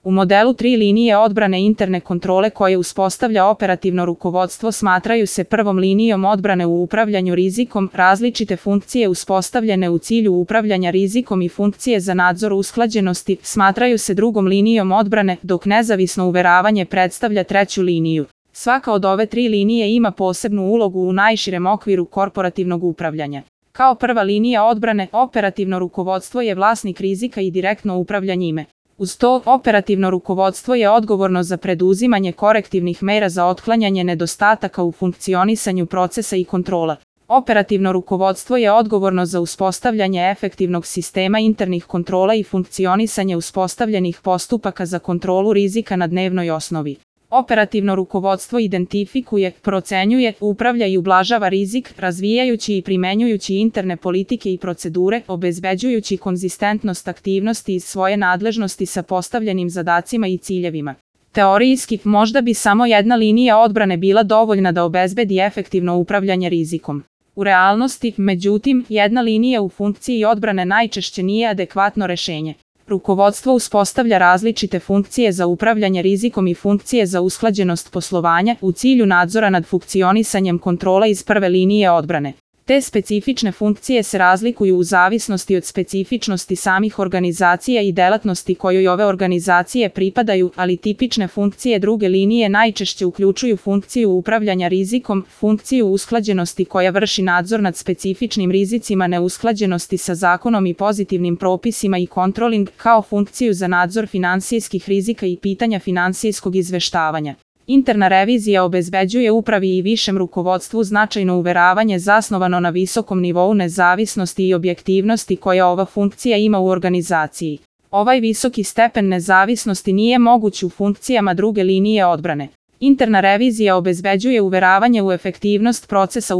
U modelu 3 linije odbrane interne kontrole koje uspostavlja operativno rukovodstvo smatraju se prvom linijom odbrane u upravljanju rizikom, različite funkcije uspostavljene u cilju upravljanja rizikom i funkcije za nadzor usklađenosti smatraju se drugom linijom odbrane, dok nezavisno uveravanje predstavlja treću liniju. Svaka od ove tri linije ima posebnu ulogu u najširem okviru korporativnog upravljanja. Kao prva linija odbrane, operativno rukovodstvo je vlasnik rizika i direktno upravlja njime. Uz to, operativno rukovodstvo je odgovorno za preduzimanje korektivnih mera za otklanjanje nedostataka u funkcionisanju procesa i kontrola. Operativno rukovodstvo je odgovorno za uspostavljanje efektivnog sistema internih kontrola i funkcionisanje uspostavljenih postupaka za kontrolu rizika na dnevnoj osnovi. Operativno rukovodstvo identifikuje, procenjuje, upravlja i ublažava rizik, razvijajući i primenjujući interne politike i procedure, obezbeđujući konzistentnost aktivnosti iz svoje nadležnosti sa postavljenim zadacima i ciljevima. Teorijski, možda bi samo jedna linija odbrane bila dovoljna da obezbedi efektivno upravljanje rizikom. U realnosti, međutim, jedna linija u funkciji odbrane najčešće nije adekvatno rešenje. Rukovodstvo uspostavlja različite funkcije za upravljanje rizikom i funkcije za usklađenost poslovanja u cilju nadzora nad funkcionisanjem kontrola iz prve linije odbrane. Te specifične funkcije se razlikuju u zavisnosti od specifičnosti samih organizacija i delatnosti kojoj ove organizacije pripadaju, ali tipične funkcije druge linije najčešće uključuju funkciju upravljanja rizikom, funkciju usklađenosti koja vrši nadzor nad specifičnim rizicima neusklađenosti sa zakonom i pozitivnim propisima i kontroling, kao funkciju za nadzor finansijskih rizika i pitanja finansijskog izveštavanja. Interna revizija obezbeđuje upravi i višem rukovodstvu značajno uveravanje zasnovano na visokom nivou nezavisnosti i objektivnosti koja ova funkcija ima u organizaciji. Ovaj visoki stepen nezavisnosti nije moguć u funkcijama druge linije odbrane. Interna revizija obezbeđuje uveravanje u efektivnost procesa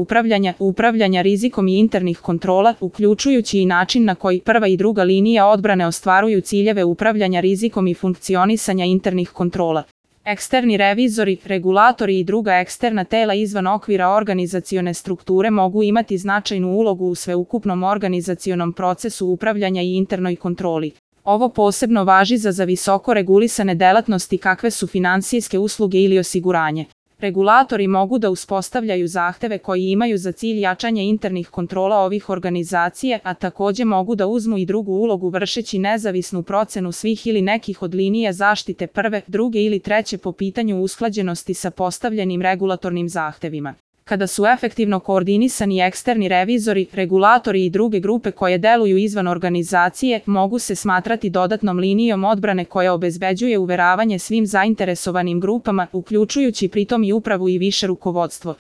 upravljanja rizikom i internih kontrola, uključujući i način na koji prva i druga linija odbrane ostvaruju ciljeve upravljanja rizikom i funkcionisanja internih kontrola. Eksterni revizori, regulatori i druga eksterna tela izvan okvira organizacione strukture mogu imati značajnu ulogu u sveukupnom organizacionom procesu upravljanja i internoj kontroli. Ovo posebno važi za visoko regulisane delatnosti kakve su finansijske usluge ili osiguranje. Regulatori mogu da uspostavljaju zahteve koji imaju za cilj jačanje internih kontrola ovih organizacija, a takođe mogu da uzmu i drugu ulogu vršeći nezavisnu procenu svih ili nekih od linija zaštite prve, druge ili treće po pitanju usklađenosti sa postavljenim regulatornim zahtevima. Kada su efektivno koordinisani eksterni revizori, regulatori i druge grupe koje deluju izvan organizacije, mogu se smatrati dodatnom linijom odbrane koja obezbeđuje uveravanje svim zainteresovanim grupama, uključujući pritom i upravu i više rukovodstvo.